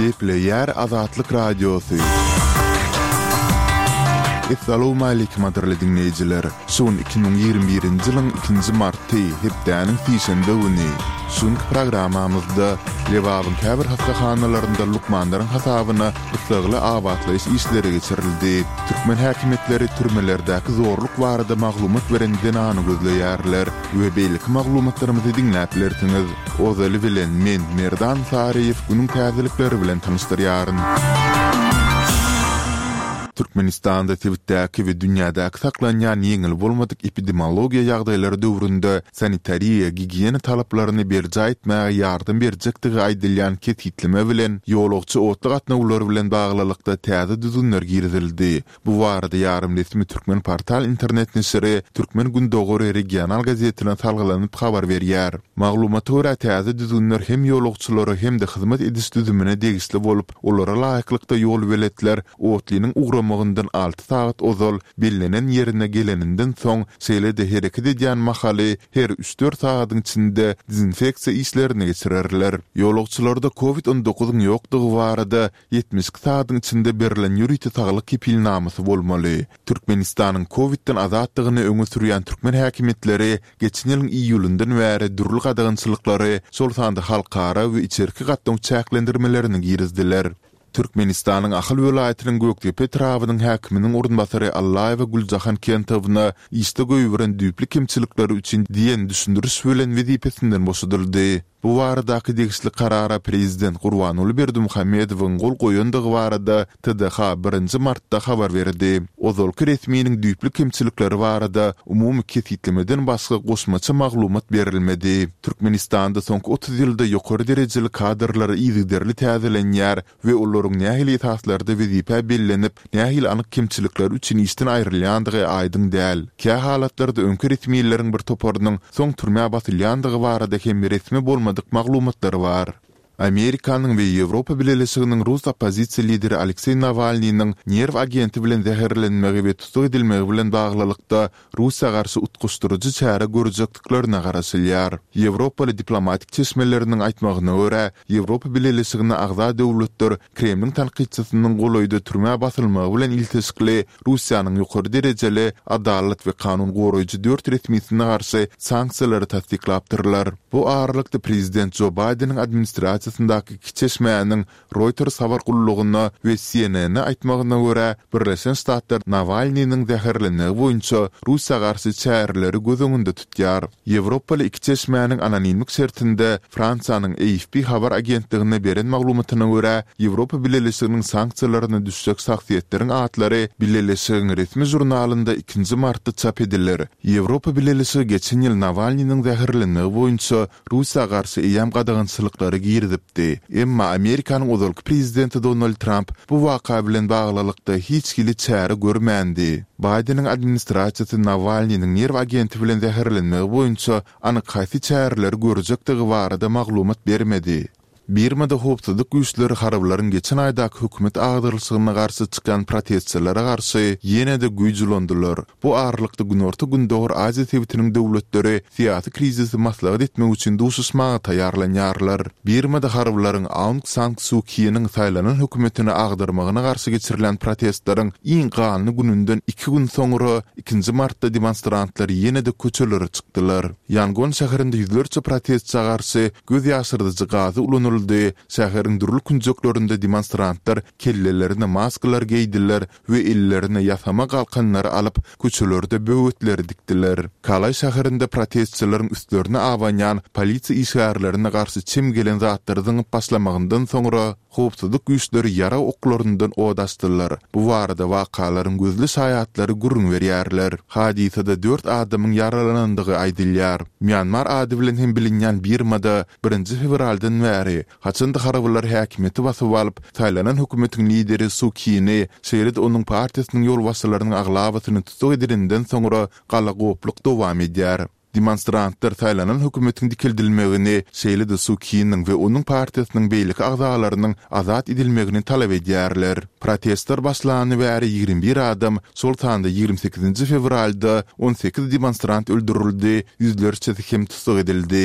Gepleýär Azatlyk Radiosy. Essalawmaleýkim gadyrly diňleýjiler! Şu gün 2021-nji ýylyň ikinji marty, hepdäniň sişenbe güni. Şu günki programmamyzda Lebabyň käbir hassahanalarynda lukmanlaryň hasabyna gyssagly abatlaýyş işleri geçirildi. Türkmen häkimiýetleri türmelerdäki zorluk barada maglumat beren zenany gözleýärler we beýleki maglumatlarymyzy diňläp bilersiňiz. Ozaly bilen men, Merdan Saryýew günüň täzelikleri bilen tanyşdyrýaryn. Türkmenistanda sebitdäki we dünýädäki saklanýan ýeňil bolmadyk epidemiologiýa ýagdaýlary döwründe sanitariýa-gigiýena talaplaryny berjaý etmäge ýardam berjekdigi aýdylýan kesgitleme bilen ýolagçy otly gatnawlary bilen baglylykda täze düzgünler girizildi. Bu barada ýarym resmi Türkmenportal internet neşiri Türkmen Gündogary regional gazetine salgylanyp habar berýär. Maglumata görä, täze düzgünler hem ýolagçylara hem-de hyzmat ediş düzümine degişli bolup, olara laýyklykda ýolbeletler otlynyň ugramagyndan alty sagat ozal bellenen ýerine geleninden soň, şeýle-de hereket edýän mahaly her üç-dört sagadyň içinde dezinfeksiýa işlerini geçirerler. Ýolagçylarda covid on dokuzyň ýokdugy barada 72 sagadyň içinde berlen ýörite saglyk kepilnamasy bolmaly. Türkmenistanyň kowidden azatdygyny öňe sürýän türkmen häkimiýetleri geçen ýylyň iýulyndan bäri dürli gadagançylyklary, şol sanda halkara we içerki gatnaw çäklendirmelerini girizdiler. Türkmenistanyň Ahal welaýatynyň Gökdepe etrabynyň häkiminiň orunbasary Allaýewa Güljahan Kentowna işde goýberen düýpli kemçilikleri üçin diýen düşündiriş bilen wezipesinden boşadyldy. Bu baradaky degişli karara prezident Gurbanguly Berdimuhamedowyň gol goýandygy barada TDH birinji martda habar berdi. Ozalky resminiň düýpli kemçilikleri barada umumy kesgitlemeden başga goşmaça maglumat berilmedi. Türkmenistanda soňky 30 ýylda ýokary derejeli kadrlar yzygiderli täzelenýär we olaryň nähili esaslarda wezipä bellenip, nähili anyk kemçilikleri üçin işden aýrylýandygy aýdyň däl. Kä halatlarda öňki resmileriň bir toparynyň soň türmä basylýandygy barada hem resmi bolmadyk maglumatlar bar. Amerikanyň we Ýewropa Bileleşiginiň rus oppozisiýa lideri Alekseý Nawalnynyň nerw agenti bilen zäherlenmegi we tussag edilmegi bilen baglylykda Russiýa garşy utgaşdyryjy çäre görjekdiklerine garaşylýar. Ýewropaly diplomatik çeşmeleriniň aýtmagyna görä, Ýewropa Bileleşigine agza döwletler Kremliň tankytçysynyň golaýda türmä basylmagy bilen ilteşikli Russiýanyň ýokary derejeli adalat we kanun goraýjy dört resmisine garşy sanksiýalary tassyklapdyrlar. Bu aralykda prezident Jo Baýdeniň administrasiýasyndaky iki çeşmäniň Reuters habar gullugyna we CNN-e aýtmagyna görä, Birleşen Ştatlar Nawalnynyň zäherlenmegi boýunça Russiýa garşy çäreleri göz öňünde tutýar. Ýewropaly iki çeşmäniň anonimlik şertinde Fransiýanyň AFP habar agentligine beren maglumatyna görä, Ýewropa Bileleşiginiň sanksiýalaryna düşjek şahsyýetleriň atlary Bileleşigiň resmi žurnalynda ikinji martda çap ediler. Ýewropa Bileleşigi geçen ýyl Nawalnynyň zäherlenmegi boýunça Russiýa garşy eýýäm gadagançylyklary girizipdi. Emma Amerikanyň ozalky prezidenti Donald Tramp bu waka bilen baglylykda hiç hili çäre görmändi. Baýdeniň administrasiýasy Nawalnynyň nerw agenti bilen zäherlenmegi boýunça anyk haýsy çäreleri görjekdigi barada maglumat bermedi. Birmada howpsuzlyk güýçleri harbylaryň geçen aýdaky hökümet agdarylyşygyna garşy çykan protestçilere garşy ýene-de güýç ulandylar. Bu aralykda Günorta-Gündogar Aziýa sebitiniň döwletleri syýasy krizisi maslahat etmek üçin duşuşmaga taýýarlanýarlar. Birmada harbylaryň Aung San Suu Kiniň saýlanan hökümetini agdarmagyna garşy geçirilen protestleriň iň ganly gününden iki gün soňra, ikinji martda demonstrantlar ýene-de köçelere çykdylar. Ýangon şäherinde ýüzlerçe protestçä garşy göz ýaşyrdyjy gazy ulanyldy, şäheriň dürli künjeklerinde demonstrantlar kellelerine maskalar geýdiler we ellerine ýasama galkanlary alyp, köçelerde böwetleri dikdiler. Kalaý şäherinde protestçileriň üstlerine abanýan polisiýa işgärlerine garşy çem gelen zatlary zyňyp başlamagyndan soňra, howpsuzlyk güýçleri ýarag oklaryndan od açdylar. Bu barada wakalaryň gözli şaýatlary gürrüň berýärler. Hadysada dört adamyň ýaralanandygy aýdylýar. Mýanmar ady bilen hem bilinýän Birmada birinji fewraldan bäri, haçan-da harbylar häkimiýeti basyp alyp, saýlanan hökümetiň lideri Su Kini, şeýle-de onuň partiýasynyň ýolbaşçylarynyň aglabasyny tussag edilenden soňra galagopluk dowam edýär. Demonstrantlar saýlanan hökümetiň dikeldilmegini, şeýle-de Su Kiniň we onuň partiýasynyň beýleki agzalarynyň azat edilmegini talap edýärler. Protestler başlany bäri 21 adam, şol sanda 28 nji fewralda 18 demonstrant öldürildi, ýüzlerçesi hem tussag edildi.